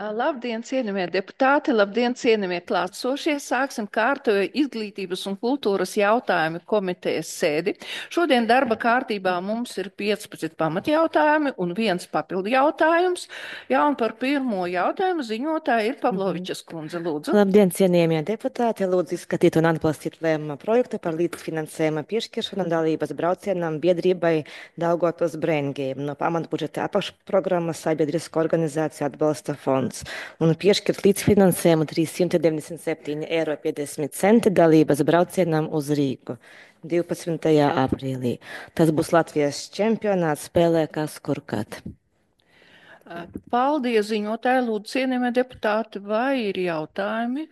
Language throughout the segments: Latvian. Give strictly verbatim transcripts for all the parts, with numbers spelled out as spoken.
Labdien, cienījamie deputāti, labdien, cienījamie klātsošie. Sāksim kārtojo izglītības un kultūras jautājumu komitejas sēdi. Šodien darba kārtībā mums ir piecpadsmit pamatjautājumi un viens papildu jautājums. Jā, un par pirmo jautājumu ziņotāja ir Pavlovičas kundze, lūdzu. Labdien, cienījamie deputāti! Lūdzu izskatīt un atbalstīt lēmuma projektu par līdzfinansējuma piešķiršanu dalības braucienam biedrībai Daugavpils Brain Game no pamatbudžeta apakšprogrammas Sabiedrisko organizāciju atbalsta fonds un piešķirt līdzfinansējumu trīssimti deviņdesmit septiņi eiro piecdesmit centi dalības braucienam uz Rīgu divpadsmitajā aprīlī. Tas būs Latvijas čempionāts spēlē kas kurkat. Paldies, ziņotāji, lūdzu, cienījamie deputāti, vai ir jautājumi?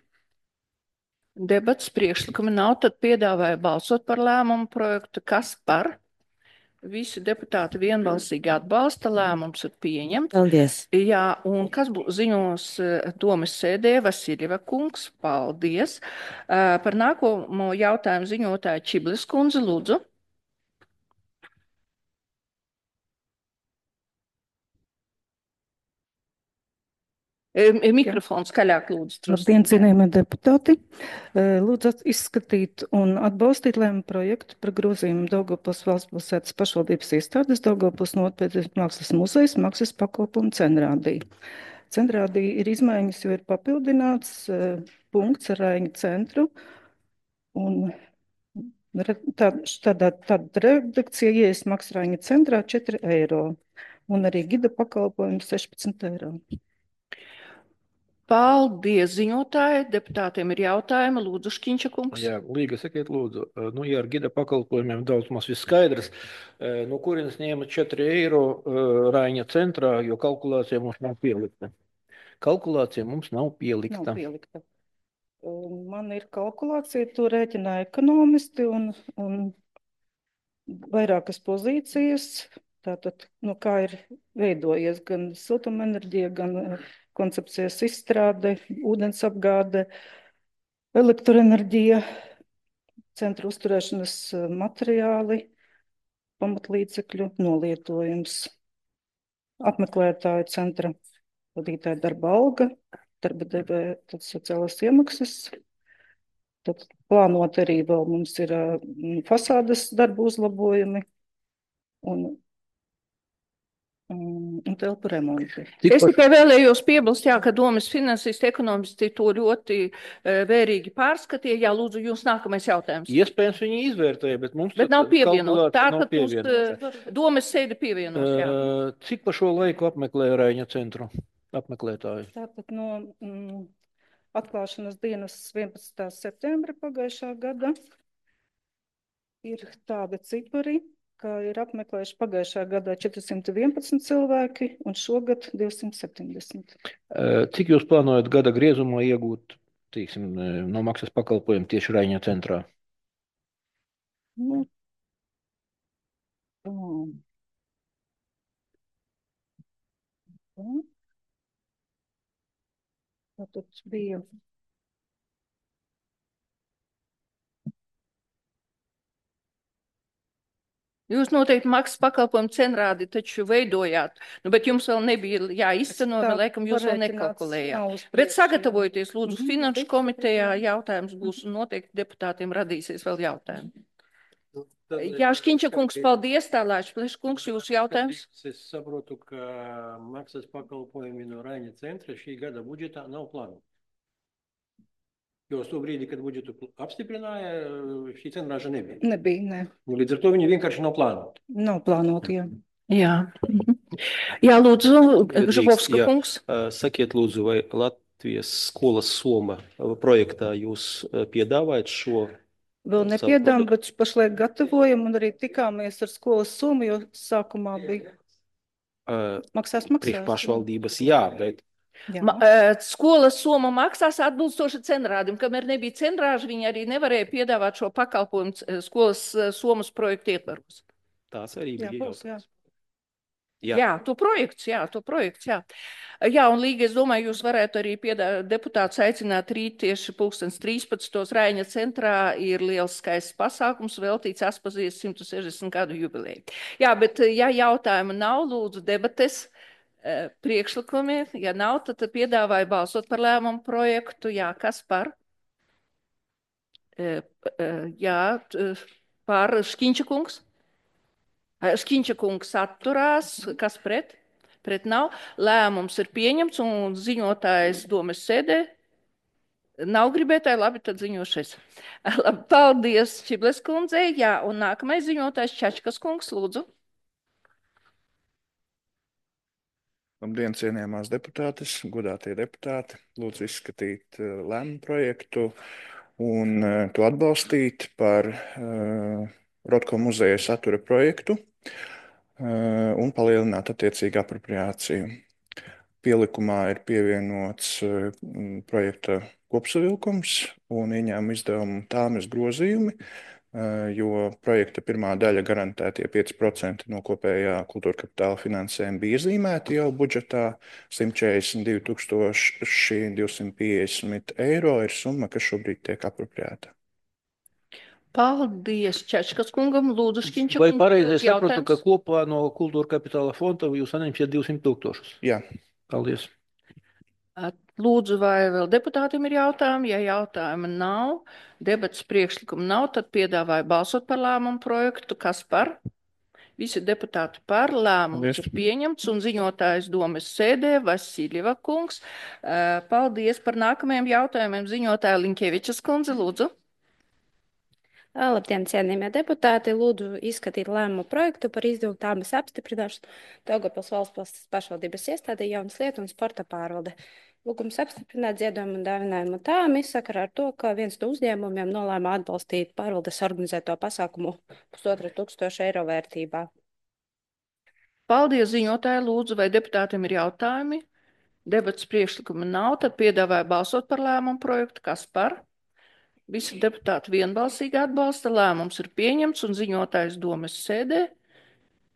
Debats priekšlikumi nav, tad piedāvāju balsot par lēmumu projektu. Kas par? Visi deputāti vienbalsīgi atbalsta, lēmums ir pieņemts. Paldies! Jā, un kas būs ziņos domas sēdē, Vasiljeva kungs, paldies. Par nākamo jautājumu ziņotāju Čiblis kundze, lūdzu. Mikrofons skaļāk, lūdzu. Labdien, cienījamie deputāti! Lūdzu izskatīt un atbalstīt lēmumu projektu par grozījumu Daugavpils valsts pilsētas pašvaldības iestādes Daugavpils nopietnas mākslas muzejas mākslas pakalpojumu cenrādī. Cenrādī ir izmaiņas, jo ir papildināts uh, punkts ar Raiņu centru. Un tā, tādā, tāda redakcija ieejas maksā Raiņu centrā četri eiro un arī gida pakalpojums sešpadsmit eiro. Paldies, ziņotāji. Deputātiem ir jautājumi. Lūdzu, Škiņša kungs. Jā, Līga, sakiet, lūdzu, nu, ja ar gida pakalpojumiem daudz mums viss skaidrs, no kurienes ņēma četri eiro Raiņa centrā, jo kalkulācija mums nav pielikta. Kalkulācija mums nav pielikta. Nav pielikta. Man ir kalkulācija, to rēķina ekonomisti un, un vairākas pozīcijas. Tātad, nu, kā ir veidojies gan siltumenerģija, gan koncepcijas izstrāde, ūdens apgāde, elektroenerģija, centra uzturēšanas materiāli, pamatlīdzekļu nolietojums, apmeklētāju centra vadītāja darba alga, darba devēja tad sociālās iemaksas. Tad plānot arī vēl mums ir fasādes darbu uzlabojumi un un telpu remonti. Es tikai vēlējos piebilst, jā, ka domas finansisti, ekonomisti to ļoti uh, vērīgi pārskatīja. Jā, lūdzu, jūs nākamais jautājums. Iespējams, viņi izvērtēja, bet mums bet nav pievienot. Tā, nav ka jūs uh, domas sēdi pievienos, jā. Uh, cik pa šo laiku apmeklēja Raiņa centru apmeklētāju? Tātad no mm, atklāšanas dienas vienpadsmitā septembra pagājušā gada ir tādi cipari, ka ir apmeklējuši pagājušā gadā četrsimt vienpadsmit cilvēki un šogad divsimt septiņdesmit. Cik jūs plānojat gada griezumā iegūt, tīksim, no maksas pakalpojumu tieši Raiņa centrā? Nu, um, tātad bija Jūs noteikti maksas pakalpojumu cenrādi taču veidojāt, nu, bet jums vēl nebija jāizceno, vēl laikam jūs vēl nekalkulējāt. Bet sagatavojieties, lūdzu, mm-hmm. Finanšu komitejā jautājums būs un noteikti deputātiem radīsies vēl jautājumi. Jā, Škiņša kungs, paldies, tālāk, Plešs kungs, jūsu jautājums. Es saprotu, ka maksas pakalpojumi no Raiņa centra šī gada budžetā nav plānoti. Jo uz to brīdi, kad budžetu apstiprināja, šī cenrāža nebija. Nebija, ne. Līdz ar to viņi vienkārši nav plānoti. Nav plānoti, jā. Jā, jā lūdzu, Žabovska kungs. Sakiet, lūdzu, vai Latvijas skolas Soma projektā jūs piedāvājat šo? Vēl nepiedām, bet pašlaik gatavojam un arī tikāmies ar skolas Somu, jo sākumā bija maksās, maksās. Priekš pašvaldības, jā, bet. Ma, skolas Soma maksās atbilstoši cenrādim, kamēr nebija cenrāži, viņi arī nevarēja piedāvāt šo pakalpojumu skolas Somas projektu ietvaros. Tās arī bija jautājums. Jā. jā, to projekts, jā, to projekts, jā. Jā, un Līga, es domāju, jūs varētu arī piedā, deputātus aicināt rīt tieši pulkstens trīspadsmitos Raiņa centrā ir liels skaists pasākums veltīts Aspazijas simt sešdesmit gadu jubilejai. Jā, bet ja jautājumu nav, lūdzu debates. Priekšlikumi, ja nav, tad piedāvāju balsot par lēmumu projektu. Jā, kas par? Jā, par Škiņča kungs. Škiņča kungs atturās. Kas pret? Pret nav. Lēmums ir pieņemts un ziņotājs domes sēdē. Nav gribētāji, labi, tad ziņošais. Labi, paldies Čibles kundzei. Jā, un nākamais ziņotājs Čačkas kungs, lūdzu. Labdien, cienījamās deputātes, godātie deputāti. Lūdzu izskatīt uh, lēmumu projektu un uh, to atbalstīt par uh, Rotko muzeja satura projektu uh, un palielināt attiecīgu apropriāciju. Pielikumā ir pievienots uh, projekta kopsavilkums un ieņēmuma izdevumu tāmes grozījumi, jo projekta pirmā daļa garantētie pieci procenti no kopējā kultūra kapitāla finansējuma bija iezīmēti jau budžetā. simt četrdesmit divi tūkstoši divsimt piecdesmit eiro ir summa, kas šobrīd tiek apropriēta. Paldies Čačkas kungam, lūdzu Škiņča Vai kungs. pareizi es sapratu, jautājums? ka kopā no kultūra kapitāla fonda jūs saņemsiet divsimt tūkstošus? Jā. Paldies. Lūdzu, vai vēl deputātiem ir jautājumi? Ja jautājumi nav, debats priekšlikumu nav, tad piedāvāju balsot par lēmumu projektu. Kas par? Visi deputāti par lēmumu ir pieņemts un ziņotājs domes sēdē Vasiljeva kungs. Paldies par nākamajiem jautājumiem. Ziņotāja Liņkevičas kundze, lūdzu. Labdien, cienījamie deputāti! Lūdzu izskatīt lēmumu projektu par izdevumu tāmes apstiprināšanu Daugavpils valsts pašvaldības iestādē jaunas lietu un sporta pārvalde. Lūgums apstiprināt ziedojumu un dāvinājumu tāmi sakarā ar to, ka viens no uzņēmumiem nolēma atbalstīt pārvaldes organizēto pasākumu pusotra tūkstoša eiro vērtībā. Paldies, ziņotāji, lūdzu, vai deputātiem ir jautājumi? Debats priekšlikuma nav, tad piedāvāju balsot par lēmumu projektu. Kas par? Visi deputāti vienbalsīgi atbalsta, lēmums ir pieņemts un ziņotājs domes sēdē.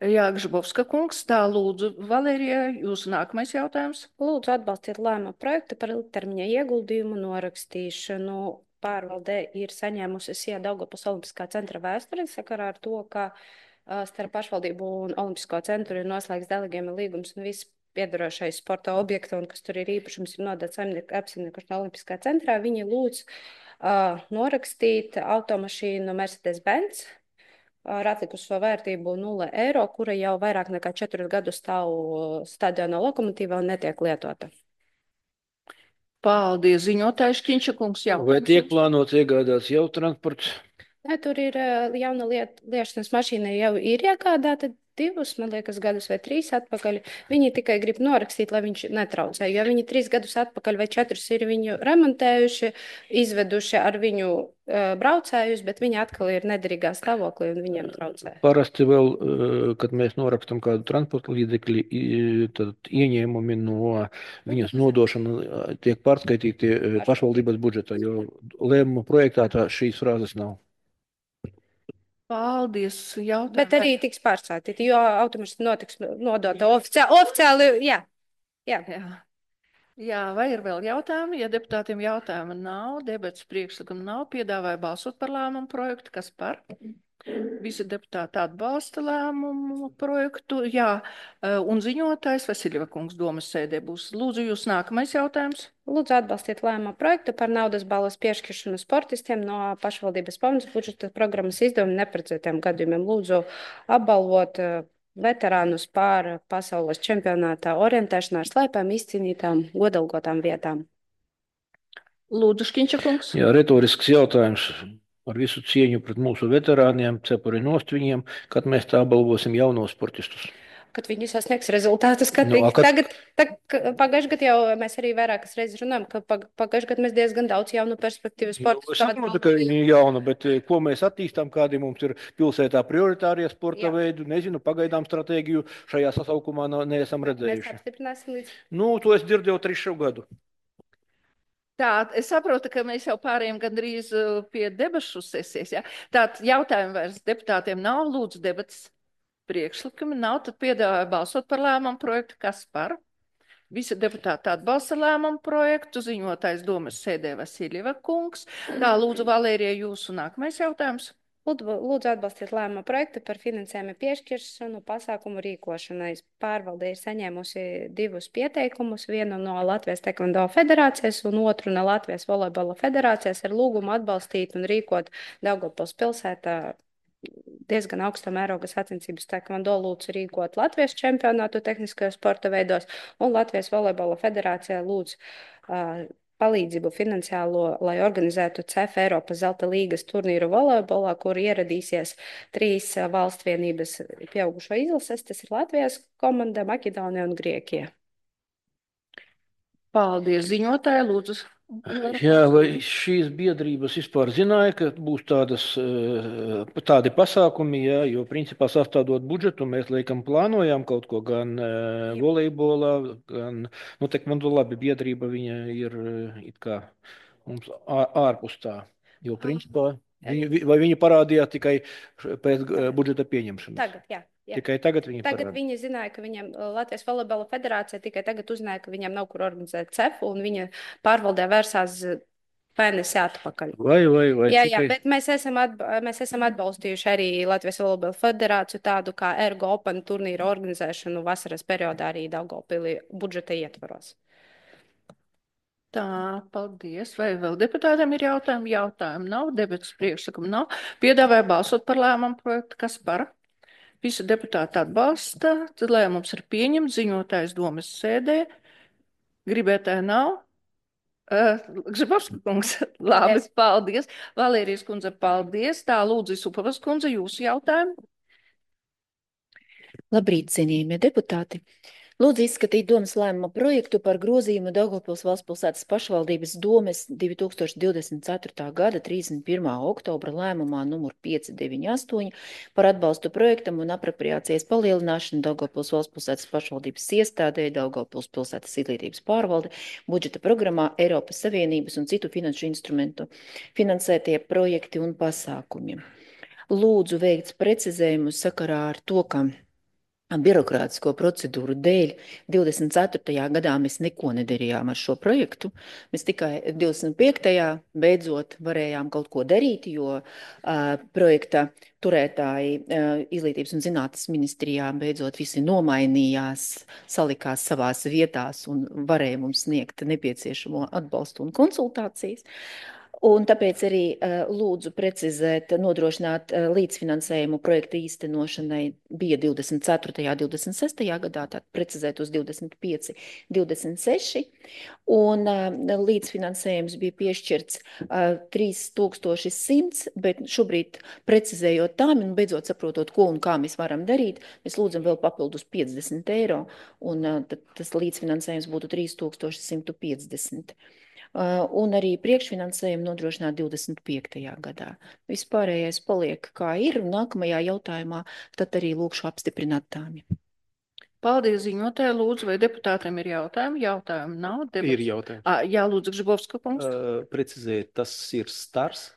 Jā, Gžabovska kungs, tā lūdzu, Valērija, jūsu nākamais jautājums. Lūdzu atbalstiet lēmumu projektu par ilgtermiņa ieguldījumu norakstīšanu. Pārvaldē ir saņēmusi S I A Daugavpils Olimpiskā centra vēsturi sakarā ar to, ka uh, starp pašvaldību un Olimpisko centru ir noslēgts delegējuma līgums un viss piedarošais sporta objektu un kas tur ir īpašums ir nodots apsaimniekošanai Olimpiskā centrā. Viņi lūdz Uh, norakstīt automašīnu Mercedes-Benz ar atlikušo vērtību nulle eiro, kura jau vairāk nekā četrus gadus stāv stadiona lokomotīvā un netiek lietota. Paldies, ziņotājs Škiņča kungs. Jautājums. Vai tiek plānots iegādāts jau transports? Nē, tur ir uh, jauna liet, liešanas mašīna jau ir iegādāta divus, man liekas, gadus vai trīs atpakaļ. Viņi tikai grib norakstīt, lai viņš netraucē, jo viņi trīs gadus atpakaļ vai četrus ir viņu remontējuši, izveduši ar viņu uh, braucējus, bet viņi atkal ir nederīgā stāvoklī un viņiem traucē. Parasti vēl, kad mēs norakstam kādu transporta līdzekļi, tad ieņēmumi no viņas nodošana tiek pārskaitīti pašvaldības budžetā, jo lēmuma projektā tā šīs frāzes nav. Paldies, jautājums. Bet arī tiks pārsātīti, jo automašīna notiks nodota oficiāli, oficiāli jā. Jā. Jā. Jā, vai ir vēl jautājumi? Ja deputātiem jautājumi nav, debats priekšlikuma nav, piedāvāju balsot par lēmumu projektu. Kas par? Visi deputāti atbalsta lēmumu projektu. Jā, un ziņotājs Vasiljeva kungs domas sēdē būs. Lūdzu, jūs nākamais jautājums. Lūdzu atbalstiet lēmumu projektu par naudas balvas piešķiršanu sportistiem no pašvaldības pamats budžeta programmas izdevumu neparedzētiem gadījumiem. Lūdzu apbalvot veterānus pār pasaules čempionātā orientēšanā ar slēpēm izcīnītām godalgotām vietām. Lūdzu, Škiņča kungs. Jā, retorisks jautājums. Ar visu cieņu pret mūsu veterāniem, cepuri nost viņiem, kad mēs tā balvosim jaunos sportistus. Kad viņi sasniegs rezultātus, kad Nu, a, kad- tagad, tag, pagājušajā gadā jau mēs arī vairākas reizes runājam, ka pag, pagājušajā gadā mēs diezgan daudz jaunu perspektīvu sportu. Es saprotu, ka viņi ir jauna, bet eh, ko mēs attīstām, kādi mums ir pilsētā prioritārie sporta Jā. veidi, nezinu, pagaidām stratēģiju šajā sasaukumā no- neesam Mēs redzējuši. apstiprināsim līdz. Nu, to es dzirdēju trešo gadu. Tā, es saprotu, ka mēs jau pārējām gandrīz uh, pie debašu sesijas. Ja? Tātad jautājumu vairs deputātiem nav, lūdzu debats priekšlikumi nav, tad piedāvāju balsot par lēmumu projektu. Kas par? Visi deputāti atbalsta lēmumu projektu, ziņotājs domas sēdē Vasiljeva kungs. Tā, lūdzu, Valērija, jūsu nākamais jautājums. Lūdzu atbalstīt lēmumu projektu par finansējumu piešķiršanu pasākumu rīkošanai. Pārvalde ir saņēmusi divus pieteikumus, vienu no Latvijas Tekvando federācijas un otru no Latvijas volejbola federācijas ar lūgumu atbalstīt un rīkot Daugavpils pilsētā diezgan augsta mēroga sacensības tekvando lūdzu rīkot Latvijas čempionātu tehniskajos sporta veidos un Latvijas volejbola federācijā lūdzu uh, palīdzību finansiālo, lai organizētu C E F Eiropas zelta līgas turnīru volejbolā, kur ieradīsies trīs valsts vienības pieaugušo izlases. Tas ir Latvijas komanda, Maķedonija un Grieķija. Paldies, ziņotāji, lūdzu. Jā, vai šīs biedrības vispār zināja, ka būs tādas, tādi pasākumi, jā, jo principā sastādot budžetu, mēs laikam plānojām kaut ko gan volejbolā, gan, nu, tekvando labi, biedrība viņa ir it kā mums ārpus tā, jo principā, viņi, vai viņi parādījās tikai pēc budžeta pieņemšanas? Tagad, jā. Jā. Tikai tagad viņi Tagad parāda. viņi zināja, ka viņam Latvijas volejbola federācija tikai tagad uzzināja, ka viņam nav kur organizēt C E F, un viņa pārvaldē vērsās mēnesi atpakaļ. Vai, vai, vai. Jā, tikai... jā, bet mēs esam, atba mēs esam atbalstījuši arī Latvijas volejbola federāciju tādu kā Ergo Open turnīru organizēšanu vasaras periodā arī Daugavpilī budžeta ietvaros. Tā, paldies. Vai vēl deputātiem ir jautājumi? Jautājumi nav, debatas priekšlikumu nav. Piedāvāju balsot par lēmumu projektu. Kas par? Visi deputāti atbalsta, tad lēmums ir pieņemts, ziņotājs domas sēdē. Gribētāji nav? Grzybowska kungs, labi, yes. Paldies. Valērijas kundze, paldies. Tā, lūdzu, Supavas kundze, jūsu jautājumu. Labrīt, cienījamie deputāti. Lūdzu izskatīt domas lēmuma projektu par grozījumu Daugavpils valstspilsētas pašvaldības domes divi tūkstoši divdesmit ceturtā gada trīsdesmit pirmā oktobra lēmumā numur pieci deviņi astoņi par atbalstu projektam un apropriācijas palielināšanu Daugavpils valstspilsētas pašvaldības iestādē Daugavpils pilsētas izglītības pārvalde budžeta programmā Eiropas Savienības un citu finanšu instrumentu finansētie projekti un pasākumi. Lūdzu veikt precizējumus sakarā ar to, ka birokrātisko procedūru dēļ divdesmit ceturtajā gadā mēs neko nedarījām ar šo projektu. Mēs tikai divdesmit piektajā beidzot varējām kaut ko darīt, jo uh, projekta turētāji uh, Izglītības un zinātnes ministrijā beidzot visi nomainījās, salikās savās vietās un varēja mums sniegt nepieciešamo atbalstu un konsultācijas. Un tāpēc arī uh, lūdzu precizēt, nodrošināt uh, līdzfinansējumu projekta īstenošanai bija divdesmit ceturtajā, divdesmit sestajā gadā, tātad precizēt uz divdesmit pieci, divdesmit seši. Un uh, līdzfinansējums bija piešķirts uh, trīs tūkstoši simts, bet šobrīd precizējot tām un beidzot saprotot, ko un kā mēs varam darīt, mēs lūdzam vēl papildus piecdesmit eiro, un uh, tad tas līdzfinansējums būtu trīs tūkstoši simt piecdesmit. Uh, un arī priekšfinansējumu nodrošināt divdesmit piektajā gadā. Vispārējais paliek kā ir, un nākamajā jautājumā tad arī lūkšu apstiprināt tāmi. Paldies, ziņotāji. Lūdzu, vai deputātiem ir jautājumi? Jautājumi nav. Debats... Ir jautājumi. À, jā, lūdzu, Grzybowska kungs. Uh, precizēt, tas ir stars?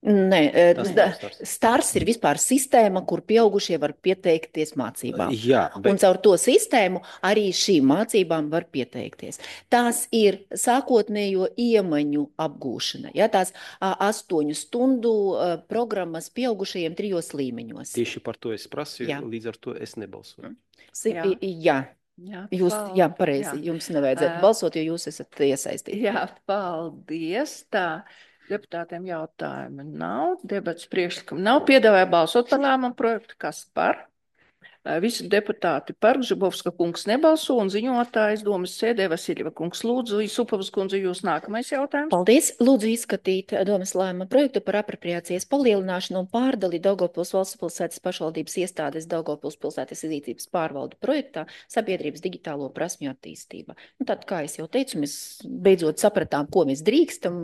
Nē, stars. stars ir vispār sistēma, kur pieaugušie var pieteikties mācībām. Jā, bet... Un caur to sistēmu arī šīm mācībām var pieteikties. Tās ir sākotnējo iemaņu apgūšana. Ja, tās a, astoņu stundu a, programmas pieaugušajiem trijos līmeņos. Tieši par to es prasīju, jā. Līdz ar to es nebalsoju. Jā. jā. Jā, jūs, jā, pareizi, jā. Jums nevajadzētu uh, balsot, jo jūs esat iesaistīti. Jā, paldies. Tā. Deputātiem jautājumu nav, debats priekšlikumu nav. Piedāvāju balsot par lēmumu projektu. Kas par? Visi deputāti par. Grzybowska kungs nebalso un ziņotājs domas sēdē Vasiļeva kungs. Lūdzu, Supavas kundze, jūs nākamais jautājums. Paldies. Lūdzu izskatīt domas lēmuma projektu par apropriācijas palielināšanu un pārdali Daugavpils valstspilsētas pašvaldības iestādes Daugavpils pilsētas izglītības pārvaldu projektā sabiedrības digitālo prasmju attīstība. Un tad, kā es jau teicu, mēs beidzot sapratām, ko mēs drīkstam,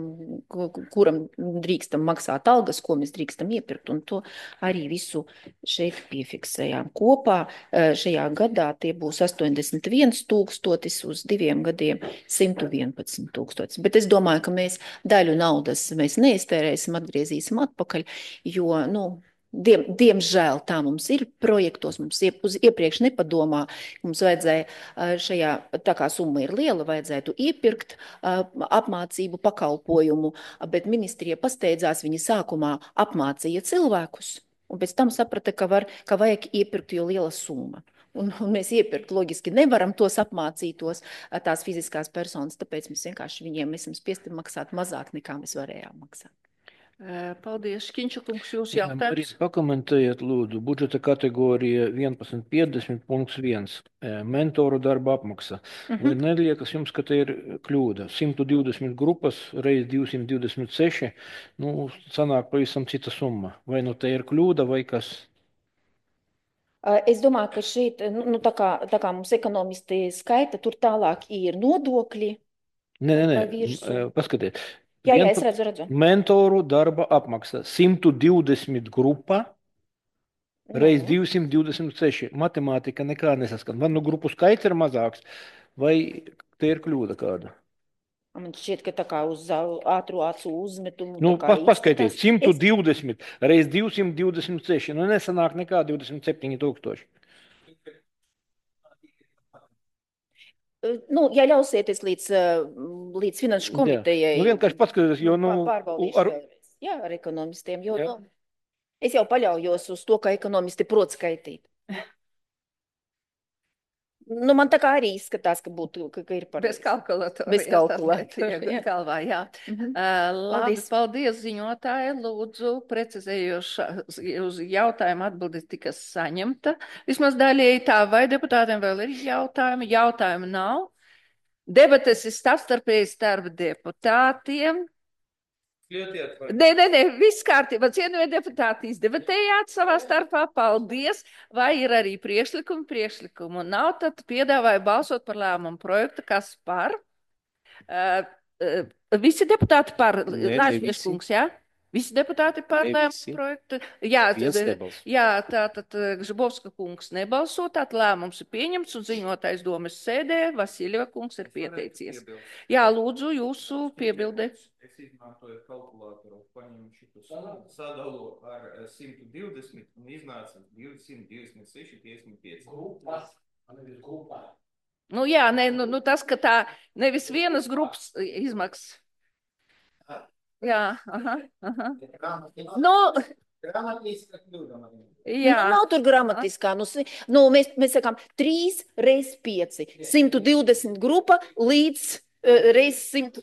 kuram drīkstam maksāt algas, ko mēs drīkstam iepirkt, un to arī visu šeit piefiksējām kopā. Šajā gadā tie būs astoņdesmit viens tūkstotis, uz diviem gadiem simt vienpadsmit tūkstotis. Bet es domāju, ka mēs daļu naudas mēs neiztērēsim, atgriezīsim atpakaļ, jo, nu, Diem, diemžēl tā mums ir projektos, mums iep, uz iepriekš nepadomā, mums vajadzēja šajā, tā kā summa ir liela, vajadzētu iepirkt uh, apmācību pakalpojumu, bet ministrija pasteidzās, viņi sākumā apmācīja cilvēkus, un pēc tam saprata, ka, var, ka vajag iepirkt, jo liela summa. Un, un mēs iepirkt loģiski nevaram tos apmācītos, tās fiziskās personas, tāpēc mēs vienkārši viņiem esam spiesti maksāt mazāk, nekā mēs varējām maksāt. Paldies, Kiņšakungs, jūs Jā, Marina, jautājums. pakomentējiet, lūdzu, budžeta kategorija vienpadsmit piecdesmit punkts viens, mentoru darba apmaksa. Mhm. Vai neliekas jums, ka te ir kļūda? simt divdesmit grupas reiz divsimt divdesmit seši, nu, sanāk pavisam cita summa. Vai nu te ir kļūda vai kas? Es domāju, ka šeit, nu, nu, tā, kā, tā kā mums ekonomisti skaita, tur tālāk ir nodokļi. Nē, nē, pa nē, virsmu. paskatiet. Jā, jā, Vienpa- es redzu, redzu. Mentoru darba apmaksa simt divdesmit grupa reiz Nu. divsimt divdesmit seši. Matemātika nekā nesaskan. Vai nu grupu skaits ir mazāks, vai te ir kļūda kāda? Man šķiet, ka tā kā uz ā- ātru acu uzmetumu. Nu, tā kā pa, paskaitiet, izskatās. simt Es- divdesmit reiz divsimt divdesmit seši. Nu, nesanāk nekā divdesmit septiņi tūkstoši. Nu, ja ļausieties līdz, eh, līdz finanšu Jā. komitejai. Nu, vienkārši paskatieties, jo, nu, pār- pārbaudīšu ar- vēlreiz. Jā, ar ekonomistiem, jo Jā. nu, es jau paļaujos uz to, ka ekonomisti prot skaitīt. Nu, man tā kā arī izskatās, ka būtu, ka, ka ir par. Bez kalkulatora. Bez jā, tas kalkulatora, netiek jā. galvā, jā. Mhm. Uh, labi, Paldies. paldies ziņotāji. Lūdzu, precizējoša uz jautājumu atbildi tika saņemta. Vismaz daļēji tā, vai deputātiem vēl ir jautājumi? Jautājumu nav. Debates ir starpstarpēji starp deputātiem. Nē, nē, nē, viss kārtībā. Cienījamie deputāti, izdebatējāt savā starpā. Paldies. Vai ir arī priekšlikumi? Priekšlikumu nav, tad piedāvāju balsot par lēmumu projektu. Kas par? Uh, uh, visi deputāti par. Nē, ne Lāčmies visi. kungs, jā? Visi deputāti par Ne lēmumu visi. projektu. Jā, Viens tad, nebalso. jā, tātad Gžibovska kungs nebalso, tātad lēmums ir pieņemts un ziņotājs domas sēdē. Vasiljeva kungs ir pieteicies. Jā, lūdzu, jūsu piebilde. Es izmantoju kalkulātoru, paņemu šitu summu, sadalu ar simt divdesmit un iznāca divsimt divdesmit seši, piecdesmit pieci. Nu jā, ne, nu, nu tas, ka tā nevis vienas grupas izmaksas. Jā, aha, aha. Nu, jā. Nu, nav tur gramatiskā. Nu, si- nu, mēs, mēs sakām trīs reiz pieci. simt divdesmit grupa līdz uh, reiz simt.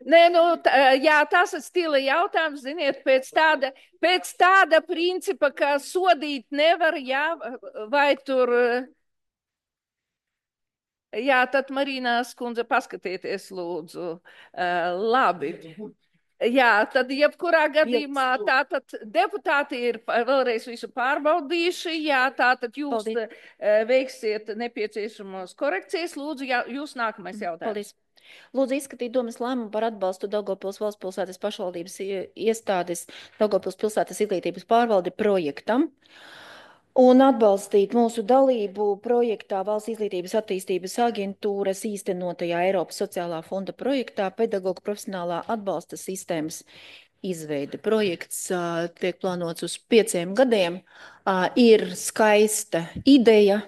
Nē, nu, tā, jā, tas ir stila jautājums, ziniet, pēc tāda, pēc tāda principa, ka sodīt nevar, jā, vai tur, jā, tad Marīnās kundze paskatieties, lūdzu, uh, labi. Jā, tad jebkurā gadījumā tātad deputāti ir pa- vēlreiz visu pārbaudījuši, jā, tātad jūs Paldies. uh, veiksiet nepieciešamos korekcijas, lūdzu, jā, jūs nākamais jautājums. Paldies. Lūdzu, izskatīt domas lēmumu par atbalstu Daugavpils valsts pilsētas pašvaldības ie- iestādes Daugavpils pilsētas izglītības pārvalde projektam un atbalstīt mūsu dalību projektā Valsts izglītības attīstības aģentūras īstenotajā Eiropas sociālā fonda projektā pedagoģu profesionālā atbalsta sistēmas izveide. Projekts ā, tiek plānots uz pieciem gadiem. Ā, Ir skaista ideja,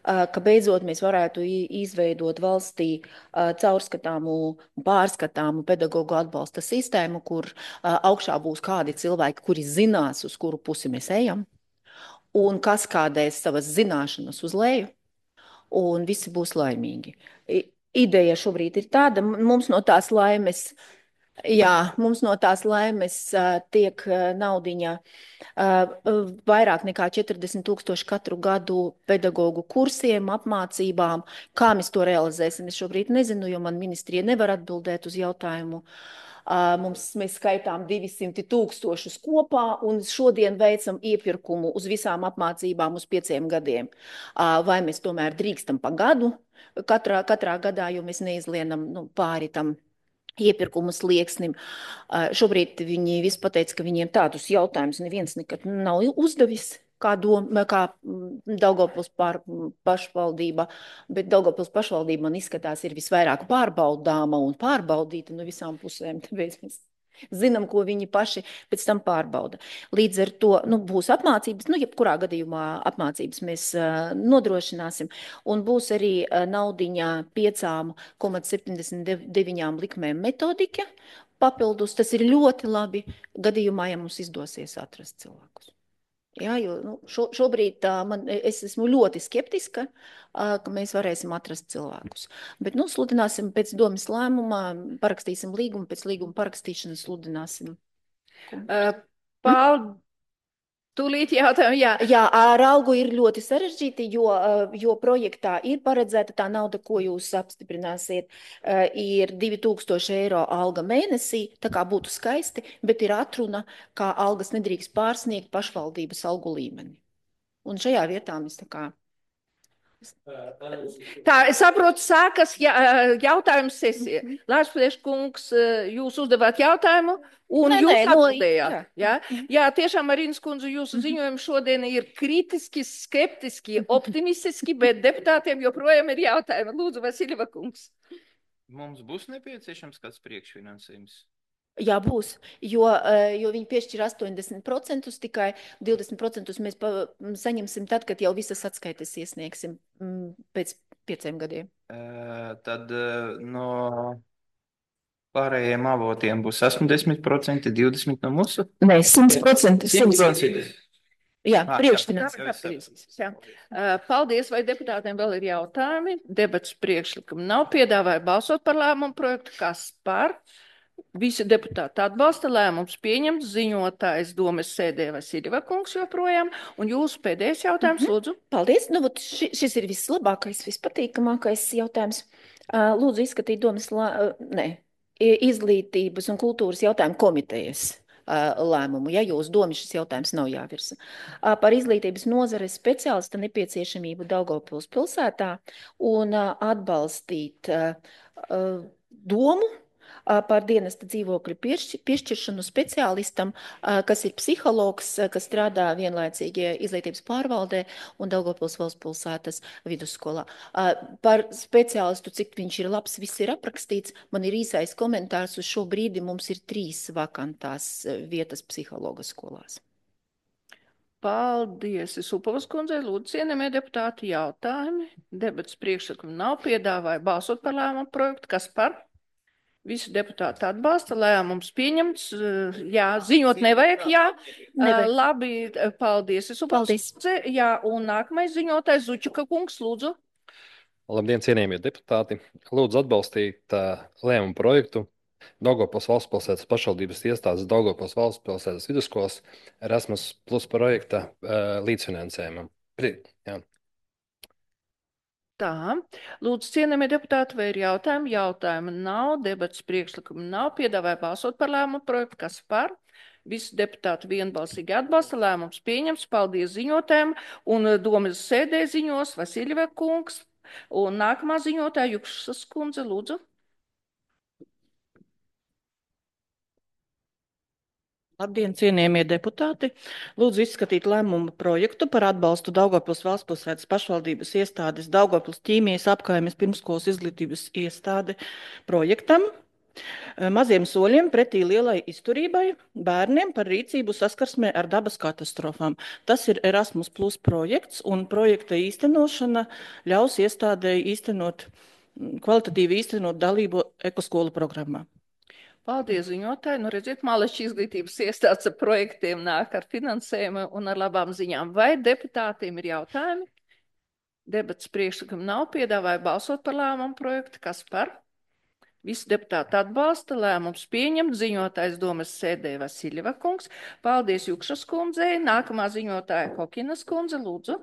ā, ka beidzot mēs varētu i- izveidot valstī ā, caurskatāmu, pārskatāmu pedagoģu atbalsta sistēmu, kur ā, augšā būs kādi cilvēki, kuri zinās, uz kuru pusi mēs ejam, un kas kādēs savas zināšanas uz leju, un visi būs laimīgi. I- Ideja šobrīd ir tāda, m- mums no tās laimes, jā, mums no tās laimes ā, tiek ā, naudiņa ā, vairāk nekā četrdesmit tūkstoši katru gadu pedagoģu kursiem, apmācībām. Kā mēs to realizēsim, es šobrīd nezinu, jo man ministrija nevar atbildēt uz jautājumu. Ā, Mums, mēs skaitām divsimt tūkstošus kopā un šodien veicam iepirkumu uz visām apmācībām uz pieciem gadiem. Ā, Vai mēs tomēr drīkstam pa gadu katrā, katrā gadā, jo mēs neizlienam nu, pāri tam iepirkumu slieksnim. Ā, Šobrīd viņi visi pateica, ka viņiem tādus jautājumus neviens nekad nav uzdevis. Kā, dom, kā mm, Daugavpils pār, pašvaldība, bet Daugavpils pašvaldība man izskatās ir visvairāk pārbaudāma un pārbaudīta no visām pusēm. Tāpēc mēs Zinām, ko viņi paši pēc tam pārbauda. Līdz ar to nu, būs apmācības, nu, jebkurā gadījumā apmācības mēs uh, nodrošināsim, un būs arī uh, naudiņā piecām komats septiņdesmit deviņām likmēm metodika papildus. Tas ir ļoti labi gadījumā, ja mums izdosies atrast cilvēkus. Jā, jo nu, šo, šobrīd tā, man, es esmu ļoti skeptiska, uh, ka mēs varēsim atrast cilvēkus. Bet nu, sludināsim pēc domas lēmumā, parakstīsim līgumu, pēc līguma parakstīšanas sludināsim. Uh, Paldies! Tūlīt jautājumu, jā. Jā, ar algu ir ļoti sarežģīti, jo, jo projektā ir paredzēta tā nauda, ko jūs apstiprināsiet, ir divi tūkstoši eiro alga mēnesī, tā kā būtu skaisti, bet ir atruna, kā algas nedrīkst pārsniegt pašvaldības algu līmeni. Un šajā vietā mēs tā kā... Tā, es saprotu, sākas jautājums sesija. Lārs Priekškungs, jūs uzdevāt jautājumu un nē, jūs nē, atbildējāt. No, jā. Jā? jā, tiešām, Marinas kundze, jūsu ziņojumi šodien ir kritiski, skeptiski, optimistiski, bet deputātiem joprojām ir jautājumi. Lūdzu, Vasiljeva kungs. Mums būs nepieciešams kāds priekšfinansējums? Jā, būs, jo, jo viņi piešķir astoņdesmit procentus, tikai divdesmit procentus mēs pa, saņemsim tad, kad jau visas atskaites iesniegsim pēc pieciem gadiem. Uh, tad uh, no pārējiem avotiem būs astoņdesmit procenti, divdesmit no mūsu? Nē, simt procenti. simt procenti. Jā, priekšfinansējums. Paldies, vai deputātiem vēl ir jautājumi? Debats priekšlikumu nav, piedāvāja balsot par lēmumu projektu, kas par? Visi deputāti atbalsta, lēmums pieņemts, ziņotājs domes sēdē Vasiljeva kungs joprojām, un jūsu pēdējais jautājums, mm-hmm. lūdzu. Paldies, nu, ši, šis ir vislabākais, vispatīkamākais jautājums. Lūdzu izskatīt domes, lā, ne, izglītības un kultūras jautājumu komitejas lēmumu, ja jūs domi šis jautājums nav jāvirsa. Par izglītības nozares speciālista nepieciešamību Daugavpils pilsētā un atbalstīt domu par dienesta dzīvokļu piešķiršanu speciālistam, kas ir psihologs, kas strādā vienlaicīgi izglītības pārvaldē un Daugavpils valsts pilsētas vidusskolā. Par speciālistu, cik viņš ir labs, viss ir aprakstīts. Man ir īsais komentārs, uz šo brīdi mums ir trīs vakantās vietas psihologa skolās. Paldies, Supovas kundzei, lūdzu, cienījamie deputāti, jautājumi. Debats priekšlikumu nav, piedāvāja balsot par lēmumu projektu, kas par? Visi deputāti atbalsta, lēmums pieņemts, jā, ziņot nevajag, jā, nevajag. Labi, paldies. Es paldies. Jā, un nākamais ziņotājs Zučuka kungs, lūdzu. Labdien, cienījamie deputāti. Lūdzu atbalstīt uh, lēmumu projektu Daugavpils valsts pilsētas pašvaldības iestādes Daugavpils valsts pilsētas vidusskolas Erasmus plus projekta uh, līdzfinansējumam. Jā. Tā, lūdzu, cienījamie deputāti, vai ir jautājumi? Jautājumi nav, debats priekšlikumu nav, piedāvāja balsot par lēmumu projektu, kas par? Visi deputāti vienbalsīgi atbalsta, lēmums pieņems, paldies ziņotājiem, un domas sēdē ziņos Vasiljeva kungs, un nākamā ziņotāja Jukšas kundze, lūdzu. Labdien, cienījamie deputāti! Lūdzu izskatīt lēmumu projektu par atbalstu Daugavpils valsts pilsētas pašvaldības iestādes Daugavpils ķīmijas apkaimes pirmskolas izglītības iestāde projektam maziem soļiem pretī lielai izturībai bērniem par rīcību saskarsmē ar dabas katastrofām. Tas ir Erasmus plus projekts, un projekta īstenošana ļaus iestādēji īstenot, kvalitatīvi īstenot dalību ekoskolu programmā. Paldies, ziņotāji. Nu, redziet, Māleša izglītības iestādes ar projektiem nāk ar finansējumu un ar labām ziņām. Vai deputātiem ir jautājumi? Debats priekšlikumu nav, piedāvāja balsot par lēmumu projektu. Kas par? Visi deputāti atbalsta, lēmums pieņemt, ziņotājs domas sēdē Vasiljeva kungs. Paldies Jukšas kundzei. Nākamā ziņotāja Kokinas kundze, lūdzu.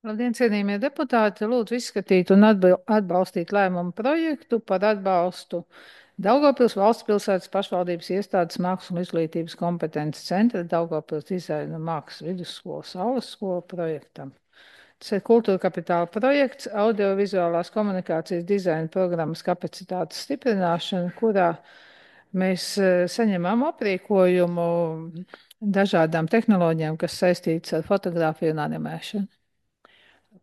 Labdien, cienījamie deputāti, lūdzu izskatīt un atbalstīt lēmumu projektu par atbalstu Daugavpils valsts pilsētas pašvaldības iestādes mākslas un izglītības kompetences centra Daugavpils dizaina mākslas vidusskolas saules skola projektam. Tas ir kultūra kapitāla projekts, audiovizuālās komunikācijas dizaina programmas kapacitātes stiprināšana, kurā mēs saņemam aprīkojumu dažādām tehnoloģijām, kas saistītas ar fotogrāfiju un animēšanu.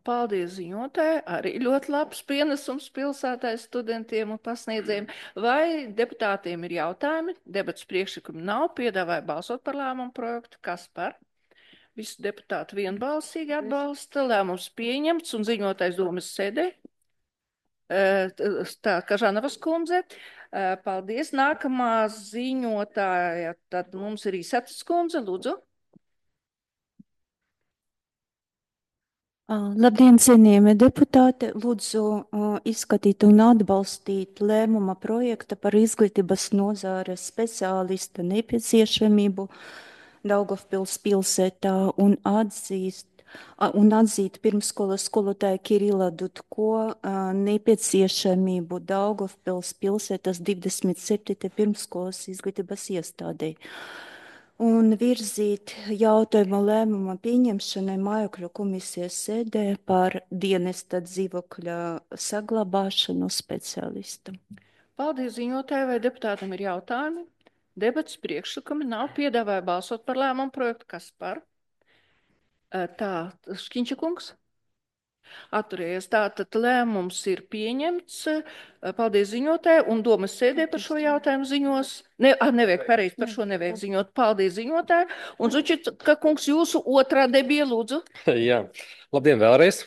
Paldies ziņotāji, arī ļoti labs pienesums pilsētai studentiem un pasniedzējiem. Vai deputātiem ir jautājumi? Debats priekšlikumi nav, piedāvāja balsot par lēmumu projektu. Kas par? Visi deputāti vienbalsīgi atbalsta, lēmums pieņemts un ziņotais domas sēdē. Tā, Kažanavas kundze. Paldies. Nākamā ziņotāja, tad mums ir Īsatas kundze, lūdzu. Labdien, cienījamie deputāti! Lūdzu izskatīt un atbalstīt lēmuma projekta par izglītības nozāres speciālista nepieciešamību Daugavpils pilsētā un atzīst un atzīt pirmsskolas skolotāja Kirila Dudko nepieciešamību Daugavpils pilsētas divdesmit septītajā pirmsskolas izglītības iestādē. Un virzīt jautājumu lēmuma pieņemšanai mājokļu komisijas sēdē par dienesta dzīvokļa saglabāšanu speciālistam. Paldies ziņotāji, vai deputātam ir jautājumi? Debats priekšlikumi nav, piedāvāja balsot par lēmumu projektu. Kas par? Tā, Škiņša kungs. Atturējies. Tātad lēmums ir pieņemts. Paldies ziņotāji un domas sēdē par šo jautājumu ziņos. Ne, ah, nevajag pareizi, par šo nevajag ziņot. Paldies ziņotāji. Un Zučika kungs, jūsu otrā debija, lūdzu. Jā, labdien vēlreiz.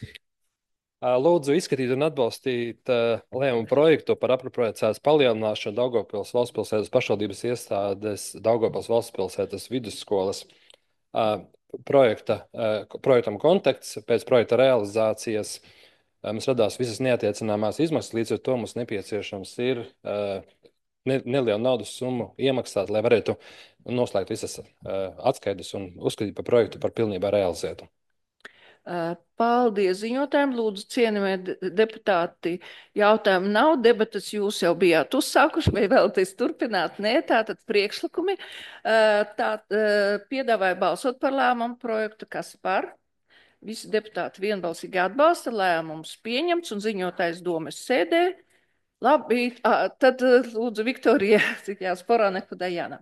Lūdzu izskatīt un atbalstīt lēmumu projektu par apropriācijas palielināšanu Daugavpils valstspilsētas pašvaldības iestādes Daugavpils valstspilsētas vidusskolas projekta, projektam konteksts. Pēc projekta realizācijas mums radās visas neatiecināmās izmaksas, līdz ar to mums nepieciešams ir ne, nelielu naudas summu iemaksāt, lai varētu noslēgt visas atskaites un uzskatīt par projektu par pilnībā realizētu. Paldies ziņotājiem, lūdzu, cienījamie deputāti, jautājumu nav, debatas jūs jau bijāt uzsākuši, vai vēlaties turpināt? Nē, tātad priekšlikumi. Tā, piedāvāja balsot par lēmumu projektu, kas par? Visi deputāti vienbalsīgi atbalsta, lēmums pieņemts un ziņotājs domas sēdē. Labi, tad lūdzu Viktorija Sporāne Kudajāna.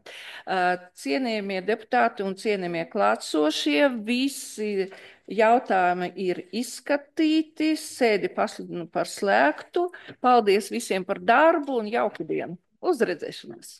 Cienījamie deputāti un cienījamie klātsošie, visi jautājumi ir izskatīti, sēdi pasludinu par slēgtu. Paldies visiem par darbu un jauku dienu. Uz redzēšanos!